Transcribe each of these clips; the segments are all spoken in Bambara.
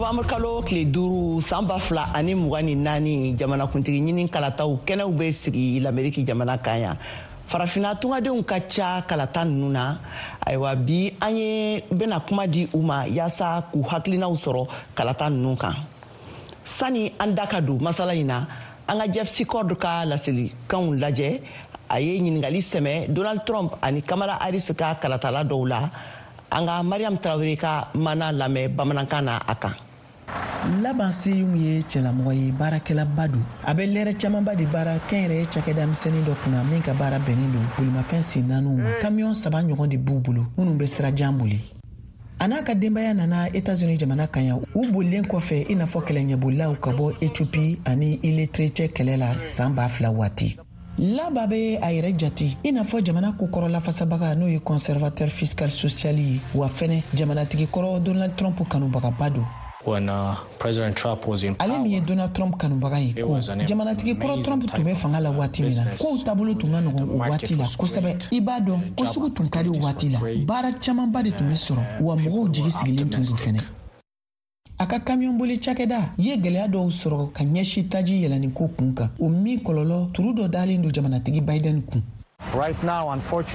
Novembre kalo tile 5, san 2024, jamanakuntigi ɲini kalataw kɛnɛw bɛ sigi Lameriki jamana kan yan. Farafina tungadenw ka ca kalata ninnu na. Ayiwa, bi an ye bɛna kuma di u ma yaasa k'u hakilinaw sɔrɔ kalata ninnu kan. Sani an da ka don masala in na, an ka Jeff Secord ka laselikanw lajɛ. A ye ɲininkali sɛmɛ Donald Trump ani Kamala Harris ka kalatala dɔw la. An ka Mariam Tarawele ka mana lamɛn bamanankan na a kan. Laban Seyum ye cɛlamɔgɔ ye, baarakɛlaba don. A bɛ lɛrɛ camanba de baara kɛnyɛrɛye cakɛda misɛnnin dɔ kunna min ka baara bɛnnen don bolimafɛn sen naaniw ma. Kamiyɔn saba ɲɔgɔn de b'u bolo minnu bɛ sira jan boli. A n'a ka denbaya nana Etats-Unis jamana kan yan, u bolilen kɔfɛ i n'a fɔ kɛlɛɲɛbolilaw ka bɔ Ethiopie ani Erythrée cɛ kɛlɛ la san 2000 waati. Laba bɛ a yɛrɛ jate i n'a fɔ jamana kokɔrɔ lafasabaga, n'o ye conservateur fiscal social ye, wa fɛnɛ jamanatigi kɔrɔ Donald Trump kanubagaba don. When President Trump was in Ale min ye Donald Trump kanubaga ye ko jamanatigi kɔrɔ Trump tun bɛ fanga la waati min na, kow taabolo tun ka nɔgɔn o waati la kosɛbɛ. I b'a dɔn ko sugu tun ka di o waati la, baara camanba de tun bɛ sɔrɔ, wa mɔgɔw jigi sigilen tun don fɛnɛ. A ka kamiyɔn boli cakɛda ye gwɛlɛya dɔw sɔrɔ ka ɲɛsin taji yɛlɛnni ko kun kan, o min kɔlɔlɔ turu dɔ dalen don jamanatigi Biden kun.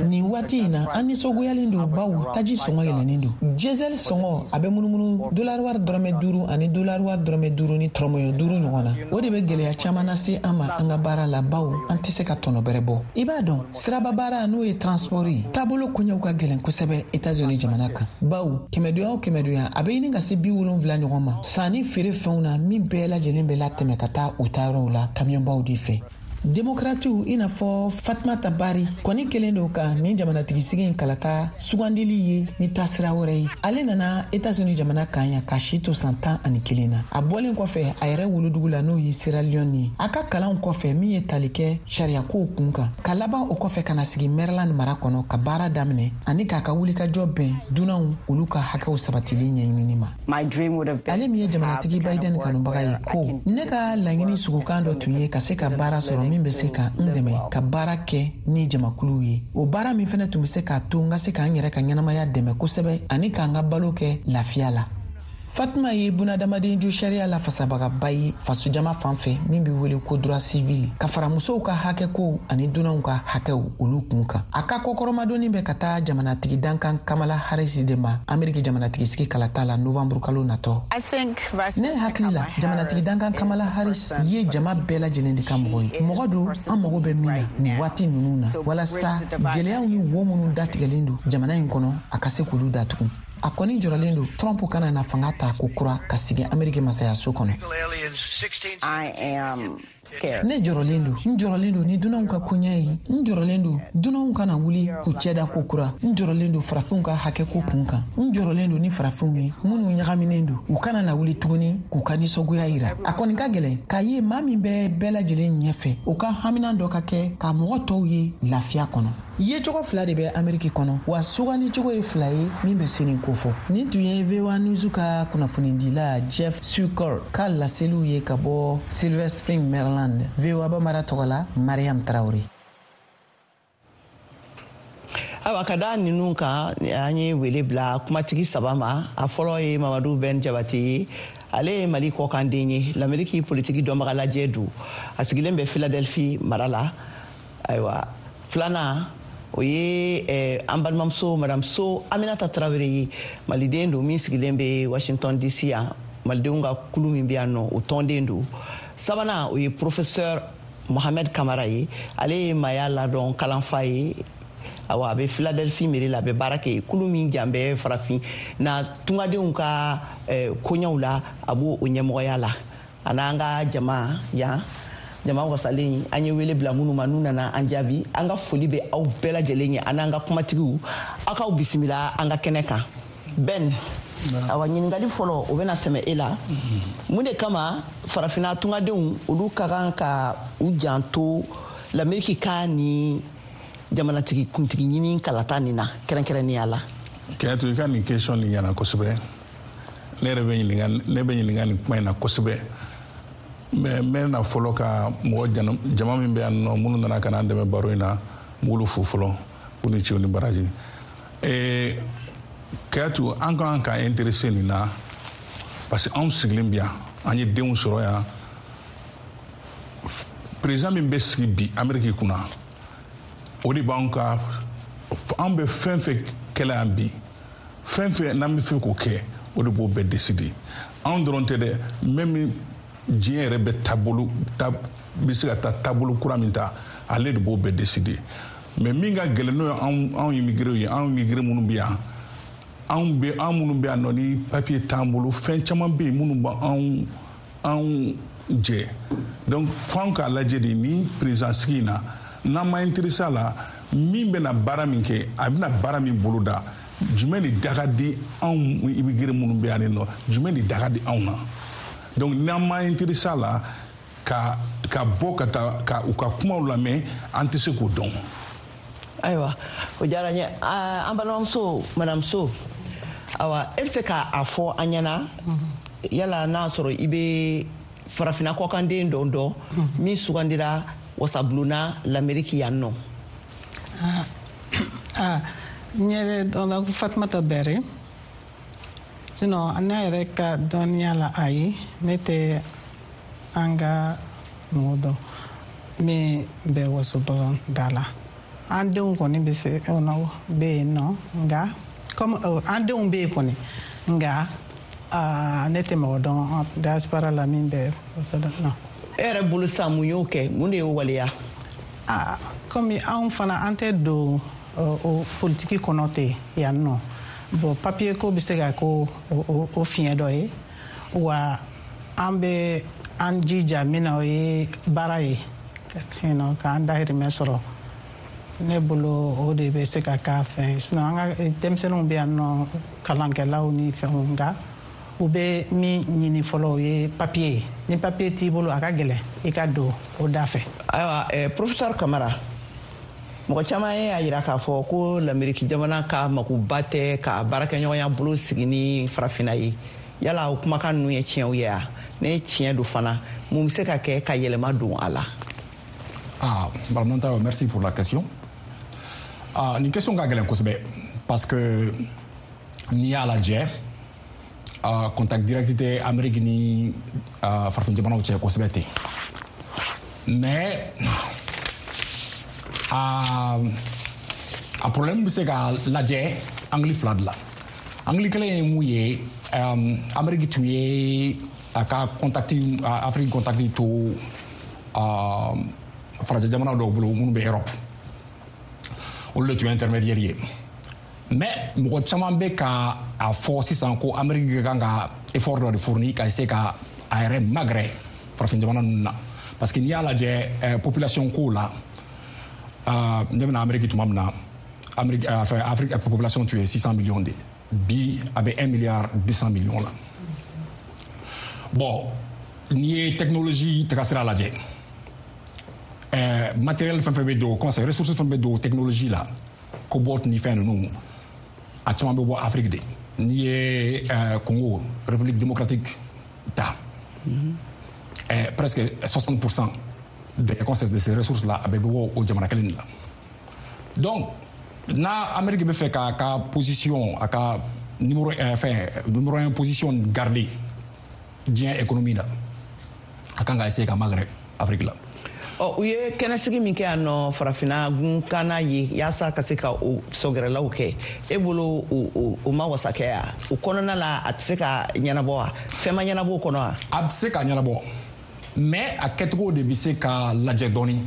Nin waati in na, an nisɔngoyalen don, bawo taji sɔngɔ yɛlɛnnen don. Diesel sɔngɔ a bɛ munumunu dolari wari dɔrɔmɛ 5 ani dolari wari dɔrɔmɛ 5 ni tɔrɔmɔɲɔ 5 ɲɔgɔn na. O de bɛ gwɛlɛya caman lase an ma an ka baara la, bawo an tɛ se ka tɔnɔ bɛrɛ bɔ. I b'a dɔn, siraba baara, n'o ye transport ye, taabolo koɲɛw ka gɛlɛn kosɛbɛ Etats-Unis jamana kan, bawo kɛmɛdonya o kɛmɛdonya, a bɛ ɲini ka se 70 ɲɔgɔn ma sanni feere fɛnw na, min bɛɛ lajɛlen bɛ latɛmɛ ka taa u taayɔrɔw la kamiyɔnbaw de fɛ. Demokratiw i n'a fɔ Fatumata Bari kɔni kelen don ka nin jamanatigisigi in kalata sugandili ye ni taasira wɛrɛ ye. Ale nana Etats-Unis jamana kan yan k'a si to san 11 na. A bɔlen kɔfɛ a yɛrɛ wolodugu la, n'o ye Sierra Leone ye, a ka kalanw kɔfɛ min ye tali kɛ sariyakow kun kan, ka laban o kɔfɛ ka na sigi Maryland mara kɔnɔ ka baara daminɛ ani k'a ka wulikajɔ bɛn dunanw olu ka hakɛw sabatili ɲɛɲinini ma. Ale min ye jamanatigi Biden kanubaga ye ko ne ka laɲini sugukan dɔ tun ye ka se ka baara sɔrɔ min bɛ se ka n dɛmɛ ka baara kɛ ni jamakuluw ye, o baara min fɛnɛ tun bɛ se k'a to n ka se k'an yɛrɛ ka ɲɛnamaya dɛmɛ kosɛbɛ ani k'an ka balo kɛ lafiya la. Fatima ye bunadamaden jo sariya la fasabagaba ye fasojama fan fɛ min bɛ wele ko droit civil, ka fara musow ka hakɛkow ani dunanw ka hakɛw olu kun kan. A ka kɔkɔrɔmadonni bɛ ka taa jamanatigi dankan Kamala Harris de ma Ameriki jamanatigisigi kalata la novembre kalo natɔ. Ne hakili la, jamanatigi dankan Kamala Harris ye jama bɛɛ lajɛlen de ka mɔgɔ ye, mɔgɔ don an mago bɛ min na nin waati ninnu na, walasa gwɛlɛyaw ni wo minnu datigɛlen don jamana in kɔnɔ, a ka se k'olu datugu. A kɔni jɔrɔlen don Trump kana na fanga ta ko kura ka sigi Ameriki masayaso kɔnɔ. Ne jɔrɔlen don, n jɔrɔlen don ni dunanw ka koɲɛ ye. N jɔrɔlen don dunanw kana wuli k'u cɛda ko kura. N jɔrɔlen don farafinw ka hakɛ ko kun kan. N jɔrɔlen don ni farafinw ye minnu ɲagaminen don, u kana na wuli tuguni k'u ka nisɔngoya yira. A kɔni ka gɛlɛn k'a ye maa min bɛ bɛɛ lajɛlen ɲɛfɛ, o ka haminan dɔ ka kɛ ka mɔgɔ tɔw ye lafiya kɔnɔ. Yecogo fila de bɛ Ameriki kɔnɔ, wa sugandicogo ye fila ye min bɛ se nin kofɔ. Nin tun ye VOA News ka kunnafonidila Jeff Sukor ka laseliw ye ka bɔ Silver Spring, Maryland. VOA Bambara tɔgɔ la, Mariam Traore. Ayiwa, ka da ninnu kan, an ye wele bila kumatigi saba ma. A fɔlɔ ye Mamadu Bɛn Jabate ye. Ale ye Mali kɔkanden ye, Lameriki politiki dɔnbaga lajɛ don, a sigilen bɛ Philadelphie mara la. Ayiwa, filanan, o ye an balimamuso Madame So Aminata Tarawele ye, maliden don min sigilen bɛ Washington DC yan, malidenw ka kulu min bɛ yan nɔ, o tɔnden don. Sabanan, o ye professeur Mohamed Kamara ye. Ale ye maaya ladɔn kalanfa ye. Awa, a bɛ Philadelphie mairie la, a bɛ baara kɛ kulu min jan bɛ farafin na tungadenw ka koɲɛw la, a b'o o ɲɛmɔgɔya la. A n'an ka jama yan, jama wasalen, an ye wele bila minnu ma, n'u nana an jaabi, an ka foli bɛ aw bɛɛ lajɛlen ye. An n'an ka kumatigiw, aw k'aw bisimila an ka kɛnɛ kan. Ben, awa, ɲininkali fɔlɔ, o bɛna sɛmɛ e la. Mun de kama farafinna tungadenw olu ka kan ka u janto Lameriki ka ni jamanatigi kuntigi ɲini kalata nin na kɛrɛnkɛrɛnnenya la? Kɛnɛtu, i ka nin question nin ɲɛna kosɛbɛ. Ne yɛrɛ bɛ ɲininka, ne bɛ ɲininka nin kuma in na kosɛbɛ, mais n bɛ na fɔlɔ ka mɔgɔ jama min bɛ yan nɔ, minnu nana ka na an dɛmɛ baro in na, n b'olu fo fɔlɔ, k'u ni ce u ni baraji. Kɛyatu, an kan ka intéressé nin na. Parce que anw sigilen bi yan, an ye denw sɔrɔ yan. Président min bɛ sigi bi Amérique kunna, o de b'anw ka, an bɛ fɛn fɛn kɛlɛ yan bi, fɛn fɛn n'an bɛ fɛ k'o kɛ, o de b'o bɛɛ décider. Anw dɔrɔn tɛ dɛ, même diɲɛ yɛrɛ bɛ taabolo ta, bɛ se ka taa taabolo kura min ta, ale de b'o bɛɛ décider. Mais min ka gɛlɛn, n'o ye anw immigré ye, anw immigré minnu bɛ yan, anw bɛ, an minnu bɛ yan nɔ ni papier t'an bolo, fɛn caman bɛ yen minnu b'anw anw jɛ. Donc f'anw k'a lajɛ de, ni président sigi in na, n'an ma intéressé a la, min bɛna baara min kɛ, a bɛna baara min boloda, jumɛn de da ka di anw immigré minnu bɛ yan nɔ, jumɛn de da ka di anw na? Donc n'an ma intéressé a la ka bɔ ka taa ka u ka kumaw lamɛn, an tɛ se k'o dɔn. Ayiwa, o diyara n ye. An balimamuso, madame So, awa, e bɛ se k'a fɔ an ɲɛna yala n'a sɔrɔ i bɛ farafinna kɔkanden dɔ dɔn min sugandira wasabulonna Lamɛriki yan nɔ? Ah, n ɲɛ bɛ dɔ la ko Fatumata Bɛrɛ. Sinon, ne yɛrɛ ka dɔnniya la, ayi, ne tɛ an ka mɔgɔ dɔn min bɛ wasobulon da la. An denw kɔni bɛ se bɛ yen nɔ, nka comme an denw bɛ yen kɔni, nka ne tɛ mɔgɔ dɔn diaspora la min bɛ wasobulon nɔ. E yɛrɛ bolo sisan, mun y'o kɛ? Mun de y'o waleya? Ah, komi anw fana, an tɛ don o politiki kɔnɔ ten yan nɔ. Bon, papier ko bɛ se ka ko o fiɲɛ dɔ ye wa. An bɛ an jija min na, o ye baara ye k'an dahirimɛ sɔrɔ. Ne bolo, o de bɛ se ka k'a fɛn. Sinon, an ka denmisɛnninw bɛ yan nɔ, kalankɛlaw ni fɛnw, nka u bɛ min ɲini fɔlɔ, o ye papier ye. Ni papier t'i bolo, a ka gɛlɛn i ka don o da fɛ. Ayiwa, professeur Kamara, mɔgɔ caman ye a yira k'a fɔ ko Lameriki jamana ka makoba tɛ ka baarakɛɲɔgɔnya bolo sigi ni farafinna ye. Yala o kumakan ninnu ye tiɲɛw ye wa? Ne tiɲɛ don fana, mun bɛ se ka kɛ ka yɛlɛma don a la? Ah, Madame, merci pour la question. Ah, nin question ka gɛlɛn kosɛbɛ, parce que n'i y'a lajɛ, contact direct tɛ Amérique ni farafin jamanaw cɛ kosɛbɛ ten. Mais a problème bɛ se ka lajɛ angle fila de la. Angle kelen ye mun ye? Amérique tun ye a ka contact, Afrique contact to farajɛ jamanaw dɔw bolo minnu bɛ Europe, olu de tun ye intermédiaire ye. Mais mɔgɔ caman bɛ ka a fɔ sisan ko Amérique ka kan ka effort dɔ de fourni ka se ka a yɛrɛ magɛrɛ farafin jamana ninnu na, parce que n'i y'a lajɛ population ko la, ne bɛna Amérique tuma min na, Amérique, enfin Afrique population tun ye 600 millions de, bi a bɛ 1 milliard 200 millions la. Bon, n'i ye technologie tagasira lajɛ, matériel fɛn fɛn bɛ don, comment ça, ressources fɛn bɛ don technologie la, cobalt ni fɛn ninnu, a caman bɛ bɔ Afrique de. N'i ye Congo, République démocratique ta, presque 60% de ces ressources là a bɛ bɔ o jamana kelen de la. Donc n'a Amérique bɛ fɛ k'a ka position, a ka numéro, fɛn numéro 1 position garder diɲɛ économie la, a kan ka essayer ka magɛrɛ Afrique la. Ɔ, u ye kɛnɛsigi min kɛ yan nɔ farafinna gunkanna ye yaasa ka se ka o sɔgɛrɛlaw kɛ, e bolo o ma wasa kɛ wa? O kɔnɔna la, a tɛ se ka ɲɛnabɔ wa? Fɛn ma ɲɛnabɔ o kɔnɔ wa? A bɛ se ka ɲɛnabɔ, mais a kɛcogo de bɛ se ka lajɛ dɔɔni.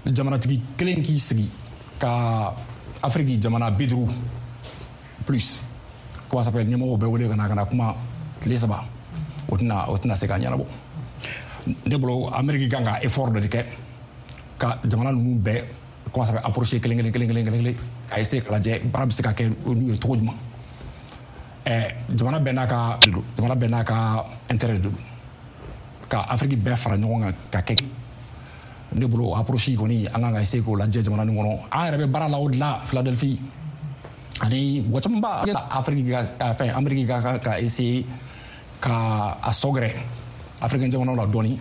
Jamanatigi kelen k'i sigi ka Afiriki jamana 50 plus, comment ça s'appelle, ɲɛmɔgɔw bɛɛ wele ka na kuma tile 3, o tɛna se ka ɲɛnabɔ. Ne bolo, Amérique kan ka effort dɔ de kɛ ka jamana ninnu bɛɛ, comment ça s'appelle, approcher kelen kelen kelen kelen kelen kelen, ka essayer ka lajɛ baara bɛ se ka kɛ n'u ye cogo jumɛn. Jamana bɛɛ n'a ka intérêt de don. Ka Afiriki bɛɛ fara ɲɔgɔn kan ka kɛ, ne bolo, o approche kɔni, an kan ka essayer k'o lajɛ jamana nin kɔnɔ. An yɛrɛ bɛ baara la o de la Philadelphie, ani mɔgɔ caman b'a Afiriki ka fɛn, Amérique ka essayer ka a sɔgɛrɛ africain jamanaw la dɔɔni,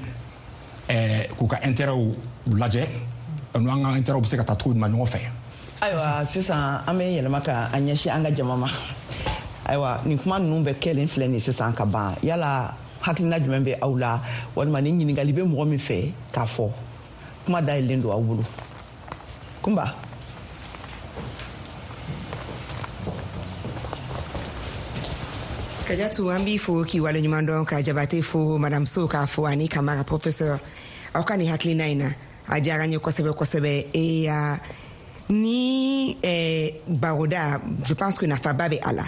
k'u ka intérêt lajɛ, n'an ka intérêt bɛ se ka taa cogo jumɛn ɲɔgɔn fɛ. Ayiwa, sisan an bɛ yɛlɛma ka an ɲɛsin an ka jama ma. Ayiwa, nin kuma ninnu bɛ kɛlen filɛ nin sisan ka ban, yala hakilina jumɛn bɛ aw la, walima ni ɲininkali bɛ mɔgɔ min fɛ k'a fɔ, kuma dayɛlɛlen don aw bolo. Kunba. Kajatu, an b'i fo k'i waleɲuman dɔn, ka Jabate fo, Madame So k'a fo, ani Kamara professeur. Aw ka nin hakilina in na, a diyara n ye kosɛbɛ kosɛbɛ. E ni baroda, je pense que nafaba bɛ a la.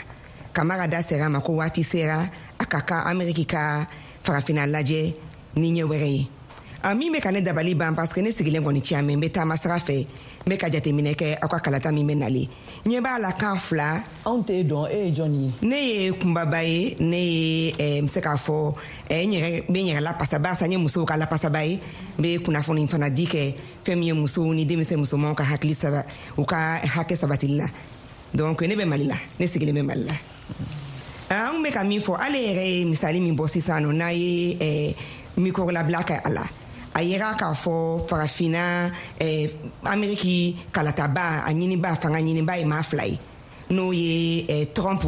Kamara da sera a ma ko waati sera a ka kan Ameriki ka Farafina lajɛ ni ɲɛ wɛrɛ ye. A min bɛ ka ne dabali ban, parce que ne sigilen kɔni tiɲɛ mɛ, n bɛ taama sira fɛ, n bɛ ka jateminɛ kɛ aw ka kalata min bɛ nalen, ɲɛ b'a la kan fila. Anw t'e dɔn, e ye jɔn ye? Ne ye Kunbaba ye. Ne ye n bɛ se k'a fɔ n yɛrɛ bɛ n yɛrɛ lapasa, barisa n ye musow ka lapasaba ye. N bɛ kunnafoni fana di kɛ fɛn min ye musow ni denmisɛn musomanw ka hakili saba, u ka hakɛ sabatili la. Donc ne bɛ Mali la, ne sigilen bɛ Mali la. An bɛ ka min fɔ, ale yɛrɛ ye misali min bɔ sisan nɔ, n'a ye micro labila kɛ a la, a yera k'a fɔ Farafinna, Ameriki kalataba a ɲiniba, fanga ɲiniba ye maa fila ye, n'o ye Trump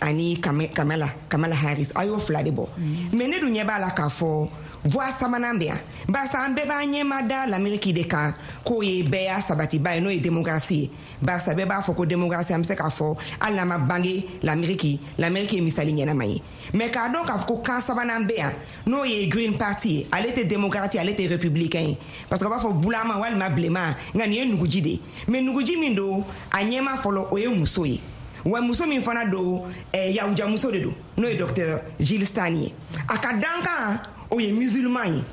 ani Kamala Harris. A y'o fila de bɔ, mais ne dun ɲɛ b'a la k'a fɔ voie sabanan bɛ yan, barisa an bɛɛ b'an ɲɛma da l'Amérique de kan k'o ye bɛɛ y'a sabatiba ye, n'o ye démocratie ye, barisa bɛɛ b'a fɔ ko démocratie, an bɛ se k'a fɔ hali n'an ma bange l'Amérique, l'Amérique ye misali ɲɛnama ye. Mais k'a dɔn k'a fɔ ko kan sabanan bɛ yan, n'o ye Green Party ye, ale tɛ démocrate, ale tɛ républicain ye, parce que a b'a fɔ bulama walima bilenman, nka nin ye nuguji de ye. Mais nuguji min don, a ɲɛma fɔlɔ, o ye muso ye, wa muso min fana don, yahujamuso de don, n'o ye docteur Jill Stein ye. A ka dankan, o ye musulman ye,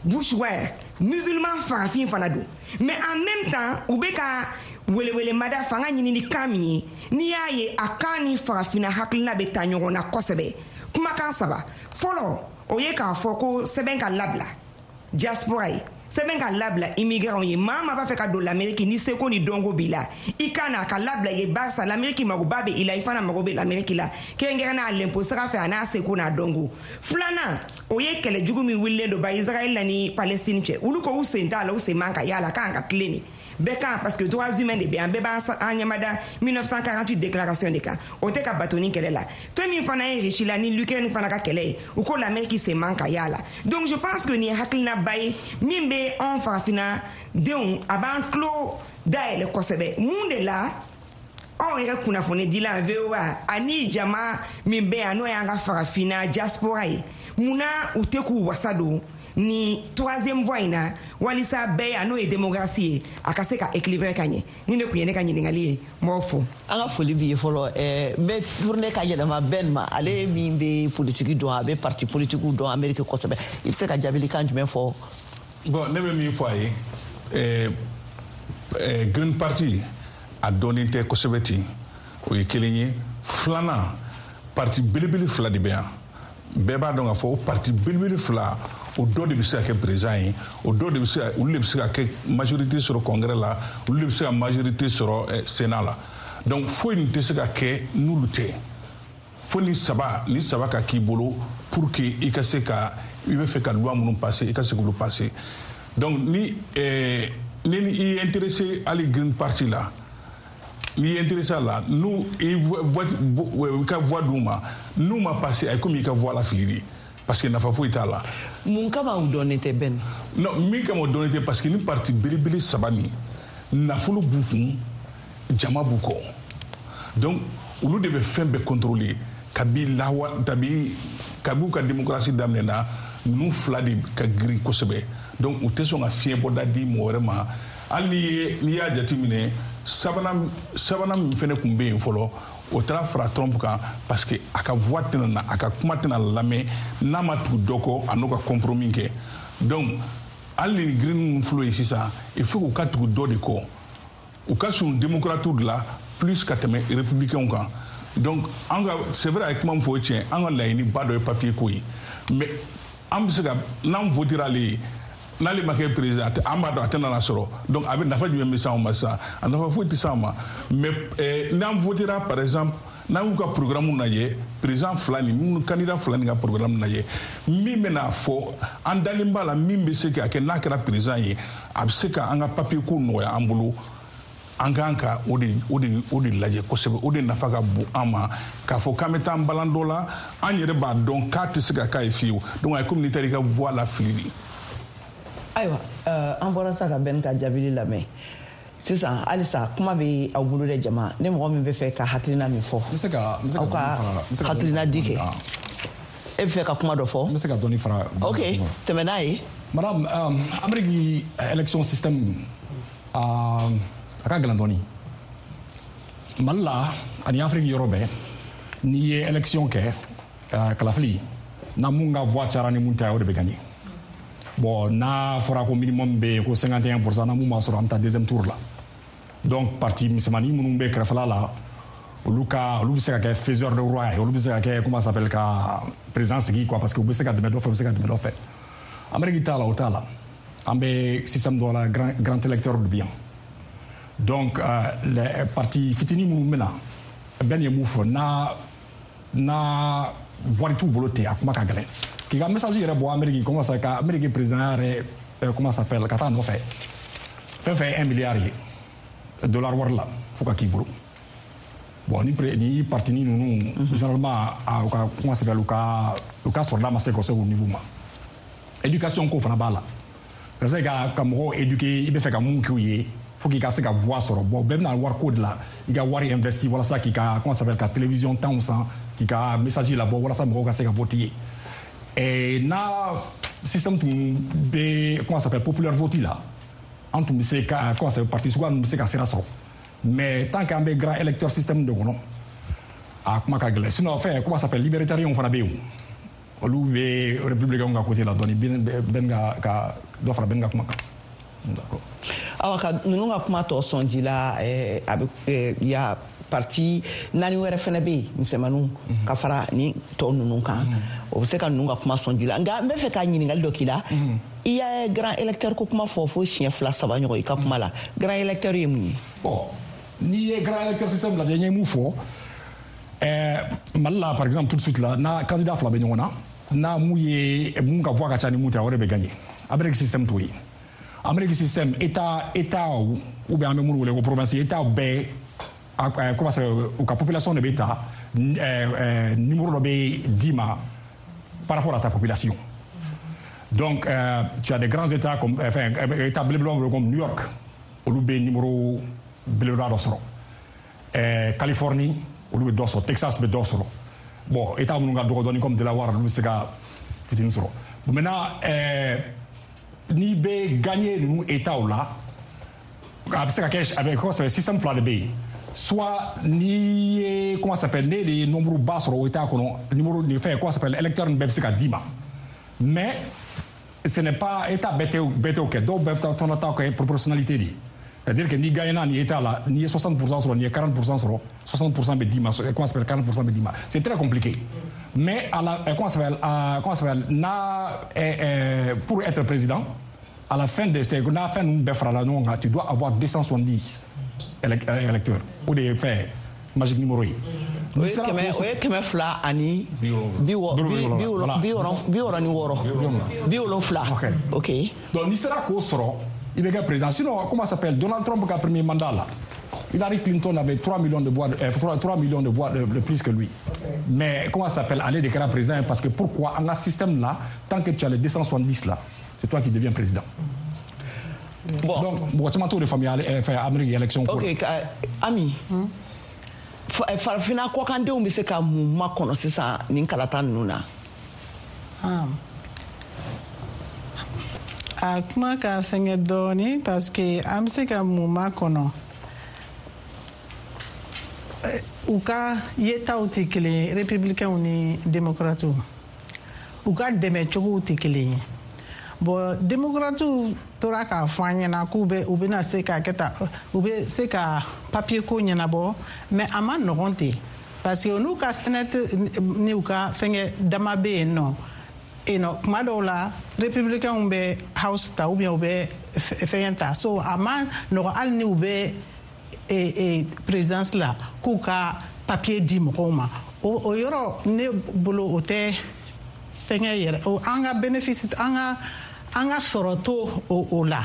Bushware, musulman farafin fana don. Mais en même temps, u bɛ ka welewelemada fanga ɲini ni kan min ye, n'i y'a ye, a kan ni Farafinna hakilina bɛ taa ɲɔgɔn na kosɛbɛ. Kumakan saba fɔlɔ, o ye k'a fɔ ko sɛbɛn ka labila diaspora ye, sɛbɛn ka labila immigrants ye. Maa maa b'a fɛ ka don l'Amérique, ni seko ni dɔnko b'i la, i ka na, a ka labila ye, barisa l'Amérique magoba bɛ i la, i fana mago bɛ l'Amérique la, kɛrɛnkɛrɛnnenya lɛnpo sira fɛ, a n'a seko n'a dɔnko. Filanan, o ye kɛlɛ jugu min wulilen don ba Israël la ni Palestine cɛ. Olu ko u sen t'a la, u sen man ka y'a la, k'an ka tilen nin bɛɛ kan, parce que droits humains de bɛ yan, bɛɛ b'an ɲɛmada 1948 déclaration de kan, o tɛ ka bato ni kɛlɛ la. Fɛn min fana ye Russie la ni l'Ukraine fana ka kɛlɛ ye, u ko l'Amérique sen man ka y'a la. Donc je pense que nin ye hakilinaba ye min bɛ anw Farafinna denw, a b'an tulo dayɛlɛ kosɛbɛ. Mun de la anw yɛrɛ kunnafonidila VOA ani jama min bɛ yan, n'o y'an ka Farafinna diaspora ye, munna u tɛ k'u wasa don ni troisième voie in na, walisa bɛɛ yan, n'o ye démocratie ye, a ka se ka équilibrer ka ɲɛ? Ni ne tun ye ne ka ɲininkali ye, n b'aw fo. An ka foli b'i ye fɔlɔ. N bɛ tourner ka yɛlɛma Ben ma, ale min bɛ politiki dɔn, a bɛ parti politikiw dɔn Amérique kosɛbɛ. I bɛ se ka jaabilikan jumɛn fɔ? Bon, ne bɛ min fɔ a ye, Green Party a dɔnnen tɛ kosɛbɛ ten, o ye kelen ye. Filanan, parti belebele fila de bɛ yan, bɛɛ b'a dɔn k'a fɔ o parti belebele fila, o dɔ de bɛ se ka kɛ président ye, o dɔ de bɛ se ka, olu de bɛ se ka kɛ majorité sɔrɔ congrès la, olu de bɛ se ka majorité sɔrɔ sénat la. Donc foyi nin tɛ se ka kɛ n'olu tɛ. Fo ni saba ka k'i bolo pour que i ka se ka, i bɛ fɛ ka loi minnu passer, i ka se k'olu passer. Donc ni i ye intéressé hali Green Party la, n'i ye intéressé a la, n'u i ka voix d'u ma, n'u ma passé, a ye komi i ka voix lafili de, parce que nafa foyi t'a la. Mun kama u dɔnnen tɛ, Ben? Non, min kama u dɔnnen tɛ, parce que ni parti belebele saba nin, nafolo b'u kun, jama b'u kɔ, donc olu de bɛ fɛn bɛɛ contrôler kabi lawa kabi u ka démocratie daminɛna. Ninnu fila de ka girin kosɛbɛ, donc u tɛ sɔn ka fiɲɛ bɔda di mɔgɔ wɛrɛ ma. Hali n'i y'a jateminɛ, sabanan min fɛnɛ tun bɛ yen fɔlɔ, o taara fara Trump kan, parce que a ka voix tɛna na, a ka kuma tɛna lamɛn n'a ma tugu dɔ kɔ, a n'o ka compromis kɛ. Donc hali ni Green minnu filɛ ye sisan, il faut k'u ka tugu dɔ de kɔ, u ka surun démocrates de la plus ka tɛmɛ républicains kan. Donc an ka, c'est vrai, a ye kuma min fɔ, o ye tiɲɛ, an ka laɲiniba dɔ ye papier ko ye. Mais an bɛ se ka n'an votera ale ye, n'ale ma kɛ président, an b'a dɔn a tɛna na sɔrɔ. Donc a bɛ nafa jumɛn bɛ s'anw ma sisan? A nafa foyi tɛ s'anw ma. Mais n'an votera, par exemple, n'an y'u ka programme lajɛ, président fila nin minnu, candidat fila nin ka programme lajɛ, min bɛna fɔ an dalen b'a la, min bɛ se ka kɛ n'a kɛra président ye, a bɛ se ka an ka papier ko nɔgɔya an bolo. An kan ka o de lajɛ kosɛbɛ. O de nafa ka bon an ma, k'a fɔ k'an bɛ taa an balan dɔ la, an yɛrɛ b'a dɔn k'a tɛ se ka k'a ye fiyewu. Donc a ye komi n'i taara i ka voix lafili de. Ayiwa, an bɔra sa ka bɛn ka jaabili lamɛn. Sisan halisa kuma bɛ aw bolo dɛ, jama. Ne mɔgɔ min bɛ fɛ ka hakilina min fɔ, n bɛ se ka aw ka hakilina di kɛ. E bɛ fɛ ka kuma dɔ fɔ? N bɛ se ka dɔɔni fara. Ok, tɛmɛ n'a ye. Madame, Amérique élection système a ka gɛlɛn dɔɔni. Mali la ani Afrique yɔrɔ bɛɛ, n'i ye élection kɛ, kalafili na, mun ka voix cayara ni mun ta ye, o de bɛ gagner. Bon, n'a fɔra ko minimum bɛ yen ko 51%, na mun b'a sɔrɔ, an bɛ taa deuxième tour la. Donc parti misɛnmanin minnu bɛ kɛrɛfɛla la, olu ka olu bɛ se ka kɛ faiseur de roi ye, olu bɛ se ka kɛ, comment ça s'appelle, ka président sigi quoi, parce que u bɛ se ka dɛmɛ dɔ fɛ, u bɛ se ka dɛmɛ dɔ fɛ. Amérique t'a la, o t'a la. An bɛ système dɔ la, grand électeur de bɛ yan. Donc les partis fitinin minnu bɛ na, bɛɛ ye mun fɔ, n'a wari t'u bolo ten, a kuma ka gɛlɛn k'i ka message yɛrɛ bɔ Amérique, comment ça, ka Amérique président yɛrɛ, comment ça s'appelle, ka taa nɔfɛ, fɛn fɛn ye 1 milliard ye dollar wari la, fo ka k'i bolo. Bon, ni parti ni ninnu, généralement a u ka, comment ça s'appelle, u ka sɔrɔda ma se ka se o niveau ma. Éducation ko fana b'a la, ka se ka mɔgɔw éduquer, i bɛ fɛ ka mun k'u ye, fo k'i ka se ka voix sɔrɔ. Bon, bɛɛ bɛna wari ko de la, i ka wari investi walasa k'i ka, comment ça s'appelle, ka télévision tanw san, k'i ka message labɔ walasa mɔgɔw ka se ka voter ye. Et n'a système tun bɛ, comment ça s'appelle, populaire vote la, an tun bɛ se ka, comment ça s'appelle, parti suguya ninnu bɛ se ka sira sɔrɔ. Mais tant qu'an bɛ grand électeur système de kɔnɔ, a kuma ka gɛlɛn. Sinon fɛn, comment ça s'appelle, libertarien fana bɛ yen, olu bɛ républicain ka côté la dɔɔni. Ben ka dɔ fara Ben ka kuma kan. D'accord. Awa, ka ninnu ka kuma tɔ sɔn ji la, a bɛ ya parti naani wɛrɛ fɛnɛ bɛ yen, misɛnmaninw, ka fara ni tɔ ninnu kan, o bɛ se ka ninnu ka kuma sɔn ji la. Nka n bɛ fɛ ka ɲininkali dɔ k'i la. I ye grand électeur ko kuma fɔ fo siɲɛ fila saba ɲɔgɔn i ka kuma la. Grand électeur ye mun ye? Bon, n'i ye grand électeur système lajɛ, n ye mun fɔ, Mali la par exemple, tout de suite là, n'a candidat fila bɛ ɲɔgɔn na, n'a mun ye mun ka voix ka ca ni mun ta, o de bɛ gagner. Amérique système t'o ye. Amérique système, état ou bien an bɛ minnu wele ko province, état bɛɛ, comment ça, u ka population de bɛ ta, numéro dɔ bɛ d'i ma par rapport à ta population. Donc tu as des grands états comme, enfin, état belebeleba comme New York, olu bɛ numéro belebeleba dɔ sɔrɔ, Californie olu bɛ dɔ sɔrɔ, Texas bɛ dɔ sɔrɔ. Bon, état minnu ka dɔgɔ dɔɔni comme Delaware, olu bɛ se ka fitinin sɔrɔ. Bon, maintenant, n'i bɛ gagner ninnu états la, a bɛ se ka kɛ, a bɛ, comment ça s'appelle, système fila de bɛ yen. Soit n'i ye, comment ça s'appelle, ne de ye nombre ba sɔrɔ o état kɔnɔ, numéro nin fɛn, comment ça s'appelle, électeur nin bɛɛ bɛ se ka d'i ma. Mais ce n'est pas état bɛɛ tɛ o kɛ. Dɔw bɛɛ fana ta kɛ proportionnalité de ye, c'est-à-dire que n'i gagnera nin état la, n'i ye 60% sɔrɔ, n'i ye 40% sɔrɔ, 60% bɛ d'i ma, comment ça s'appelle, 40% bɛ d'i ma. C'est très compliqué. Mais à la, comment ça s'appelle, comment ça s'appelle, n'a pour être président, à la fin de ces n'a fɛn ninnu bɛɛ farala ɲɔgɔn kan, tu dois avoir 270 électeurs. O de ye fɛn magique numéro ye. O ye kɛmɛ, o ye 266, 70. Ok. Donc n'i sera k'o sɔrɔ, i bɛ kɛ président. Sinon, comment ça s'appelle, Donald Trump ka premier mandat la, Hillary Clinton avait 3 millions de voix, 3 millions de voix de plus que lui. Mais comment ça s'appelle, ale de kɛra président. Parce que pourquoi? An ka système là, tant que tu as les 270 là, c'est toi qui deviens président. Bon. Donc mɔgɔ caman t'o de faamuya fɛn Amérique élection ko la. Ok, Ami, farafinna kɔkandenw bɛ se ka mun makɔnɔ sisan nin kalata ninnu na? Ah. A kuma ka fɛngɛ dɔɔni, parce que an bɛ se ka mun makɔnɔ? U ka yetaw tɛ kelen ye, républicains ni démocrates. U ka dɛmɛ cogow tɛ kelen ye. Bon, démocrates tora k'a fɔ an ɲɛna k'u bɛ, u bɛna se ka kɛ tan, u bɛ se ka papier ko ɲɛnabɔ, mais a ma nɔgɔn ten, parce que n'u ka Senate ni u ka fɛngɛ dama bɛ yen nɔ yen nɔ, kuma dɔw la républicains bɛ House ta ou bien u bɛ fɛngɛ ta. So a ma nɔgɔn, hali ni u bɛ présidence la, k'u ka papier di mɔgɔw ma. O yɔrɔ, ne bolo, o tɛ fɛngɛ yɛrɛ, o an ka bénéfice, an ka sɔrɔ to o la.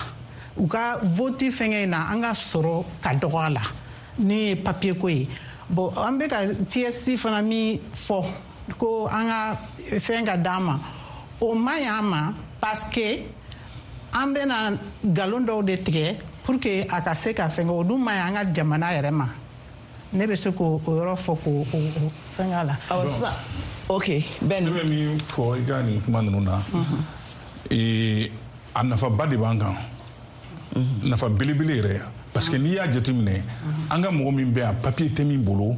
U ka vote fɛngɛ in na, an ka sɔrɔ ka dɔgɔ a la ni ye papier ko ye. Bon, an bɛ ka TSC fana min fɔ ko an ka fɛn ka d'an ma, o man ɲi an ma, parce que an bɛna nkalon dɔw de tigɛ pour que a ka se ka fɛngɛ. O dun man ɲi an ka jamana yɛrɛ ma. Ne bɛ se k'o yɔrɔ fɔ k'o fɛngɛ a la. Awɔ, sisan, ok, Ben. Ne bɛ min fɔ i ka nin kuma ninnu na, a nafaba de b'an kan, nafa belebele yɛrɛ, parce que n'i y'a jateminɛ, an ka mɔgɔ min bɛ yan, papier tɛ min bolo,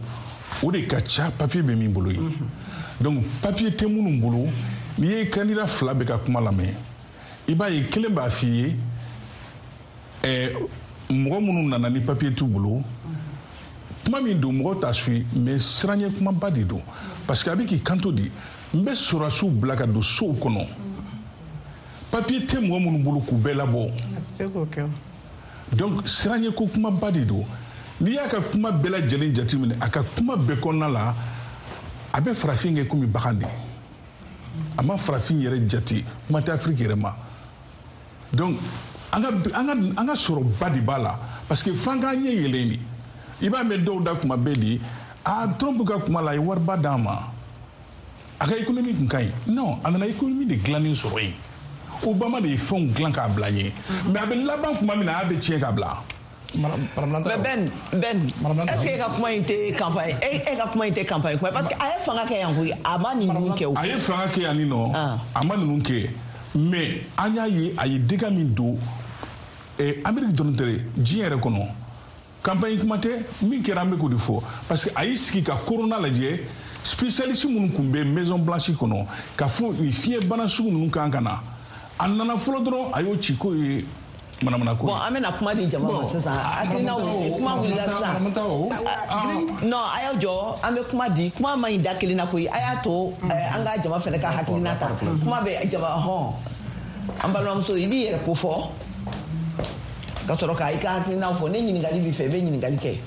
o de ka ca papier bɛ min bolo ye. Donc papier tɛ minnu bolo, n'i ye candidat fila bɛ ka kuma lamɛn, i b'a ye kelen b'a f'i ye mɔgɔ minnu nana ni papier t'u bolo, kuma min don, mɔgɔw t'a suit, mais siranɲɛ kumaba de don, parce que a bɛ k'i kanto de: n bɛ sɔrɔdasiw bila ka don sow kɔnɔ, papier tɛ mɔgɔ minnu bolo, k'u bɛɛ labɔ. Donc siranɲɛ ko kumaba de don. N'i y'a ka kuma bɛɛ lajɛlen jateminɛ, a ka kuma bɛɛ kɔnɔna la, a bɛ farafin kɛ komi bagan de. A ma farafin yɛrɛ jate, kuma tɛ Afiriki yɛrɛ ma. Donc an ka sɔrɔba de b'a la, parce que f'an k'an ɲɛ yɛlɛn de. I b'a mɛn dɔw da kuma bɛɛ de: a Trump ka kuma la, a ye wariba d'an ma, a ka économie kun ka ɲi. Non, a nana économie de dilannen sɔrɔ yen. Obama de ye fɛnw dilan k'a bila ɲɛ, mais a bɛ laban tuma min na, a bɛ tiɲɛ k'a bila. Mais Ben, est-ce que e ka kuma in tɛ campagne, e ka kuma in tɛ campagne kuma, parce que a ye fanga kɛ yan koyi, a ma ninnu kɛ o. A ye fanga kɛ yan nin nɔ, a ma ninnu kɛ, mais an y'a ye a ye dégâts min don Amérique dɔrɔn tɛ dɛ, diɲɛ yɛrɛ kɔnɔ. Campagne kuma tɛ, min kɛra an bɛ k'o de fɔ, parce que a y'i sigi ka corona lajɛ, spécialiste minnu tun bɛ Maison Blanche kɔnɔ k'a fɔ nin fiɲɛbana sugu ninnu kan ka na, a nana fɔlɔ dɔrɔn, a y'o ci k'o ye manamana ko ye. Bon, an bɛna kuma di jama ma sisan. Hakilinaw, kuma wulila sisan. Non, a y'aw jɔ, an bɛ kuma di. Kuma man ɲi da kelen na koyi. A y'a to an ka jama fana ka hakilina ta. Kuma bɛ jama hɔn. An balimamuso, i b'i yɛrɛ ko fɔ ka sɔrɔ ka i ka hakilinaw fɔ. Ne ɲininkali b'i fɛ, i bɛ ɲininkali kɛ.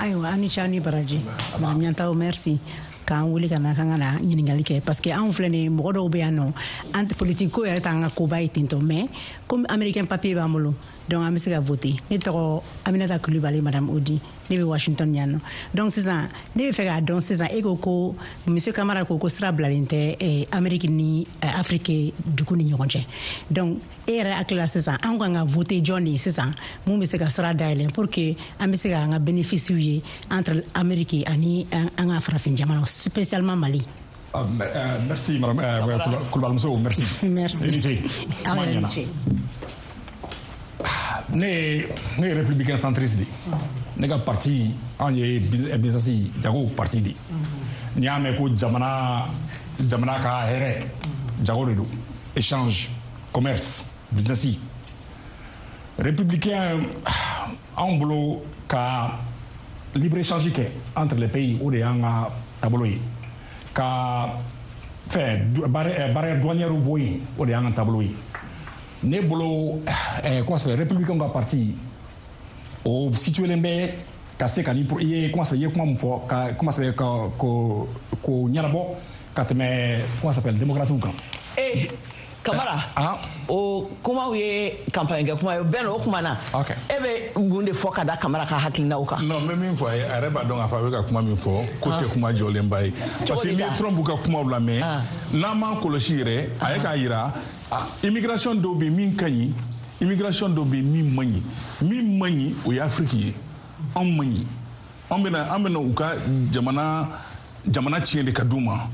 Ayiwa, an ni ce, ni baraji. Madame Ɲantaw, merci k'an wele ka na k'an ka na ɲininkali kɛ, parce que anw filɛ nin ye, mɔgɔ dɔw bɛ yan nɔ, an politique ko yɛrɛ t'an ka koba ye ten tɔ, mais comme américain papier b'an bolo, donc an bɛ se ka voter. Ne tɔgɔ Aminata Kulibali, madame Odi, ne bɛ Washington yan nɔ. Donc sisan ne bɛ fɛ k'a dɔn sisan, e ko ko monsieur Kamara ko sira bilalen tɛ Amérique ni Afrique dugu ni ɲɔgɔn cɛ. Donc e yɛrɛ hakili la sisan, an kan ka voter jɔn de ye sisan, mun bɛ se ka sira dayɛlɛ pour que an bɛ se k'an ka bénéfice ye entre Amérique ani an ka farafin jamanaw, spécialement Mali? Merci madame Kulubalimuso, merci. Merci. Ne ye républicain centriste de. Ne ka parti, anw ye business jago parti de. N'i y'a mɛn ko jamana ka hɛrɛ, jago de don, échange, commerce, business. Républicain, anw bolo ka libre échange kɛ entre les pays, o de y'an ka taabolo ye. Ka fɛn barrière douanière bɔ yen, o de y'an ka taabolo ye. Ne bolo, comment ça s'appelle, républicain ka parti o situelen bɛ ka se ka ni i ye, comment ça, i ye kuma min fɔ ka, comment ça s'appelle, ka ko ɲɛnabɔ ka tɛmɛ, comment ça s'appelle, démocrates kan. Kamara, o kumaw ye campagne kɛ kuma ye. Bɛn, o kuma na, e bɛ mun de fɔ ka da Kamara ka hakilinaw kan? Non, n bɛ min fɔ a ye, a yɛrɛ b'a dɔn k'a fɔ a bɛ ka kuma min fɔ ko tɛ kuma jɔlenba ye, parce que n'i ye Trump ka kumaw lamɛn, n'an m'an kɔlɔsi yɛrɛ, a ye k'a yira immigration dɔw bɛ min ka ɲi, immigration dɔw bɛ min man ɲi. Min man ɲi, o ye Afrique ye. Anw man ɲi, an bɛna u ka jamana tiɲɛ de ka d'u ma.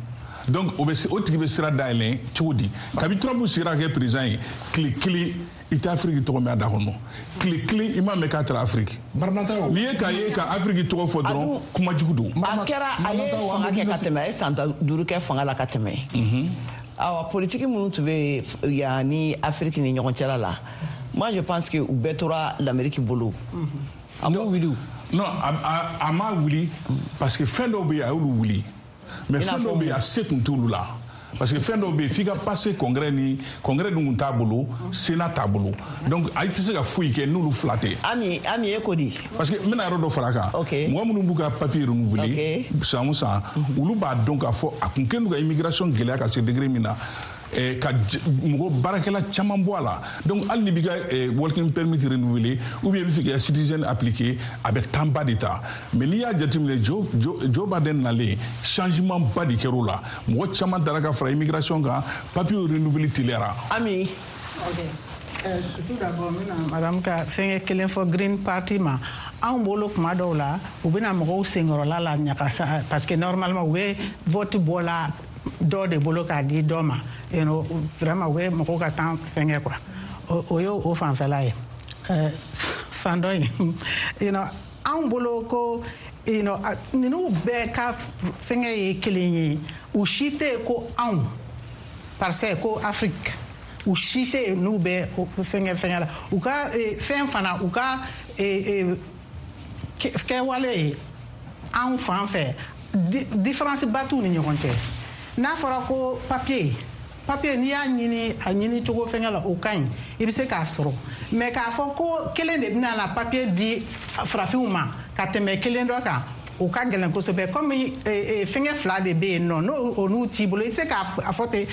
Donc o tigi bɛ sira dayɛlɛn cogo di? Kabi Trump sigira kɛ président ye, tile kelen i tɛ Afrique tɔgɔ mɛn a da kɔnɔ, tile kelen i m'a mɛn k'a taara Afrique. N'i ye k'a ye ka Afrique tɔgɔ fɔ dɔrɔn, kuma jugu don. A kɛra a ye fanga kɛ ka tɛmɛ, a ye san 5 kɛ fanga la ka tɛmɛ. Awa, politique minnu tun bɛ yan ni Afrique ni ɲɔgɔn cɛla la, moi je pense que u bɛɛ tora l'Amérique bolo. A m'o wuli. Non, a m'a wuli, parce que fɛn dɔw bɛ yen, a y'olu wuli. Mais fɛn dɔw bɛ yen, a se tun t'olu la, parce que fɛn dɔw bɛ yen f'i ka passer congrès, ni congrès dun kun t'a bolo, sénat t'a bolo, donc a tɛ se ka foyi kɛ n'olu fila tɛ. Ami e ko di? Parce que n bɛna yɔrɔ dɔ fara a kan. Mɔgɔ minnu b'u ka papier renouveler san o san, olu b'a dɔn k'a fɔ a kun kɛlen don ka immigration gɛlɛya ka se degré min na. Ka mɔgɔ baarakɛla caman bɔ a la. Donc hali n'i b'i ka working permit renouveler ou bien i bɛ fɛ k'i ka citizen appliquer, a bɛ temps ba de ta. Mais n'i y'a jateminɛ, Joe Biden nalen, changement ba de kɛra o la. Mɔgɔ caman taara ka fara immigration kan, papier renouveler teliyara. Ami. Ok. Tout d'abord, n bɛna madame ka fɛnkɛ kelen fɔ Green Party ma. Anw bolo, kuma dɔw la, u bɛna mɔgɔw senkɔrɔla la ɲagasa, parce que normalement u bɛ vote bɔ la dɔ de bolo k'a di dɔ ma. Vraiment, u bɛ mɔgɔw ka temps fɛnkɛ quoi. O ye o fanfɛla ye. Fan dɔ in, anw bolo ko ninnu bɛɛ ka fɛnkɛ ye kelen ye. U si tɛ yen ko anw, parce que ko Afrique, u si tɛ yen n'u bɛ fɛnkɛ la. U ka fɛn fana, u ka kɛwale ye anw fan fɛ, différence ba t'u ni ɲɔgɔn cɛ. N'a fɔra ko papier, n'i y'a ɲini, a ɲini cogo fɛnkɛ la, o ka ɲi, i bɛ se k'a sɔrɔ. Mais k'a fɔ ko kelen de bɛna na papier di farafinw ma ka tɛmɛ kelen dɔ kan, o ka gɛlɛn kosɛbɛ. Komi fɛnkɛ fila de bɛ yen nɔ, n'o o n'u t'i bolo, i tɛ se k'a fɔ ten.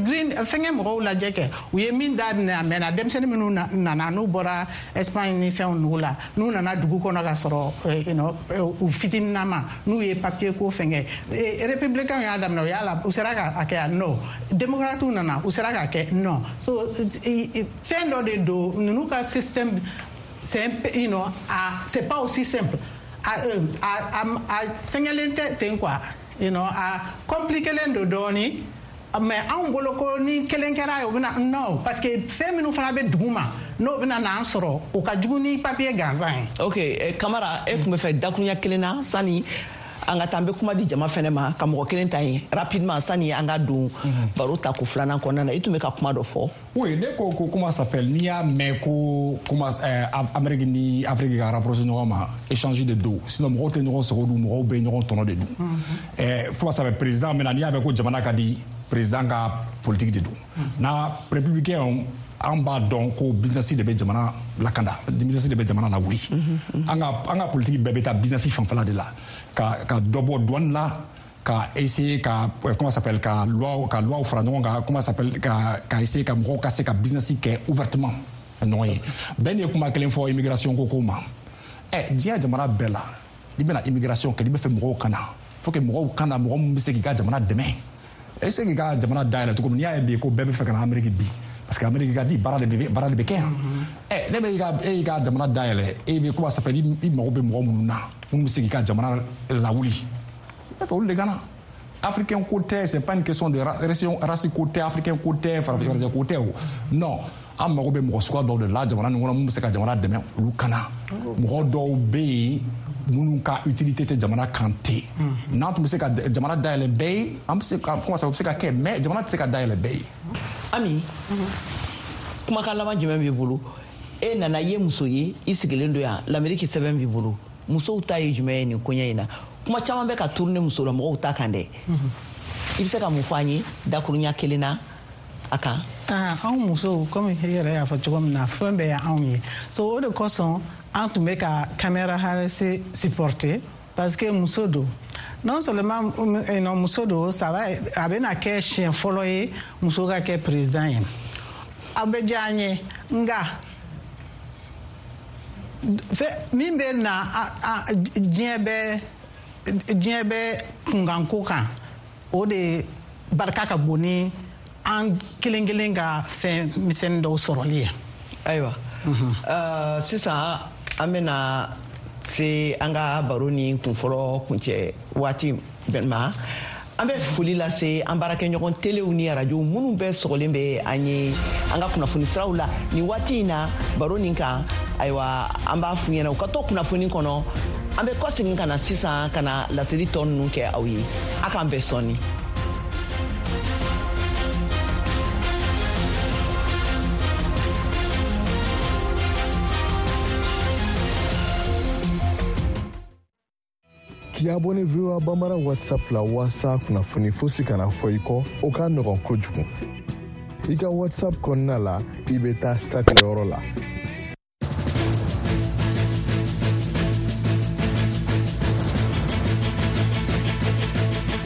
Green fɛnkɛ mɔgɔw lajɛ kɛ, u ye min daminɛ a mɛnna. Denmisɛnnin minnu nana, n'u bɔra Espagne ni fɛnw nugu la, n'u nana dugu kɔnɔ ka sɔrɔ u fitininama, n'u ye papier ko fɛnkɛ, républicain y'a daminɛ, u y'a la, u sera k'a kɛ yan nɔ. Démocrates nana, u sera k'a kɛ non. So fɛn dɔ de don, ninnu ka système, c'est un you know c'est pas aussi simple. A fɛngɛlen tɛ ten quoi, a compliquélen don dɔɔni. Mais anw bolo ko ni kelen kɛra ye, o bɛna non, parce que fɛn minnu fana bɛ dugu ma, n'o bɛna n'an sɔrɔ, o ka jugu ni papier gansan ye. Ok, Kamara, e tun bɛ fɛ dakuruɲɛ kelen na sani an ka taa. An bɛ kuma di jama fɛnɛ ma ka mɔgɔ kelen ta yen rapidement sani an ka don baro ta ko filanan kɔnɔna na. I tun bɛ ka kuma dɔ fɔ. Oui, ne ko comment ça s'appelle, n'i y'a mɛn ko comment Amérique ni Afrique ka rapprocher ɲɔgɔn ma, échange de don. Sinon mɔgɔw tɛ ɲɔgɔn sogo dun, mɔgɔw bɛ ɲɔgɔn tɔnɔ de dun. Fo ça s'appelle président maintenant, n'i y'a mɛn ko jamana ka di, président ka politique de don. Na républicain, an b'a dɔn ko business de bɛ jamana lakanda, business de bɛ jamana lawuli. An ka politique bɛɛ bɛ taa business fanfɛla de la, ka dɔ bɔ douane la, ka essayer ka comment ça s'appelle, ka loi fara ɲɔgɔn kan, comment ça s'appelle, ka essayer ka mɔgɔw ka se ka business kɛ ouvertement ɲɔgɔn ye. Bɛɛ ye kuma kelen fɔ immigration ko ma. Diɲɛ jamana bɛɛ la, n'i bɛna immigration kɛ, n'i bɛ fɛ mɔgɔw ka na, faut que mɔgɔw ka na, mɔgɔ min bɛ se k'i ka jamana dɛmɛ, e se k'i ka jamana dayɛlɛ cogo min. N'i y'a ye bi ko bɛɛ bɛ fɛ ka na Amérique bi, parce que Amérique ka di, baara de bɛ kɛ yan. Ne bɛ e y'i ka jamana dayɛlɛ, e bɛ comment ça s'appelle, i mago bɛ mɔgɔ minnu na, minnu bɛ se k'i ka jamana lawuli, i bɛ fɛ olu de ka na. Africain ko tɛ, c'est pas une question de race ko tɛ, africain ko tɛ, farafin ko tɛ o. Non, an mago bɛ mɔgɔ suguya dɔw de la jamana nin kɔnɔ, mun bɛ se ka jamana dɛmɛ, olu ka na. Mɔgɔ dɔw bɛ yen minnu ka utilité tɛ jamana kan ten. N'an tun bɛ se ka jamana dayɛlɛ bɛɛ ye, an bɛ se ka comment ça, o bɛ se ka kɛ, mais jamana tɛ se ka dayɛlɛ bɛɛ ye. Ami, kumakan laban jumɛn b'i bolo? E nana, i ye muso ye, i sigilen don yan, Lamɛriki sɛbɛn b'i bolo. Musow ta ye jumɛn ye nin koɲɛ in na? Kuma caman bɛ ka tourner muso la mɔgɔw ta kan dɛ. I bɛ se ka mun fɔ an ye dakuruɲa kelen na a kan? Anw musow, komi i yɛrɛ y'a fɔ cogo min na, fɛn bɛɛ ye anw ye. So o de kosɔn an tun bɛ ka Kamala Harris supporter, parce que muso don. Non seulement non, muso don, ça va, a bɛna kɛ siɲɛ fɔlɔ ye muso ka kɛ président ye. A bɛ diya an ye, nka min bɛ na, diɲɛ bɛ kunkanko kan, o de barika ka bon ni an kelen kelen ka fɛn misɛnnin dɔw sɔrɔli ye. Ayiwa, sisan an bɛna se an ka baro ni kunfɔlɔ kuncɛ waati ma. An bɛ foli lase an baarakɛɲɔgɔn telew ni arajow minnu bɛɛ sɔgɔlen bɛ an ye an ka kunnafoni siraw la nin waati in na baro nin kan. Ayiwa, an b'a f'u ɲɛna u ka to kunnafoni kɔnɔ. An bɛ kɔsegin ka na sisan ka na laseli tɔ ninnu kɛ aw ye. A k'an bɛn sɔɔni. K'i abonné VOA Bambara WhatsApp la waasa kunnafoni fosi kana fɔ i kɔ, o ka nɔgɔn kojugu. I ka WhatsApp kɔnɔna la, i bɛ taa statut yɔrɔ la.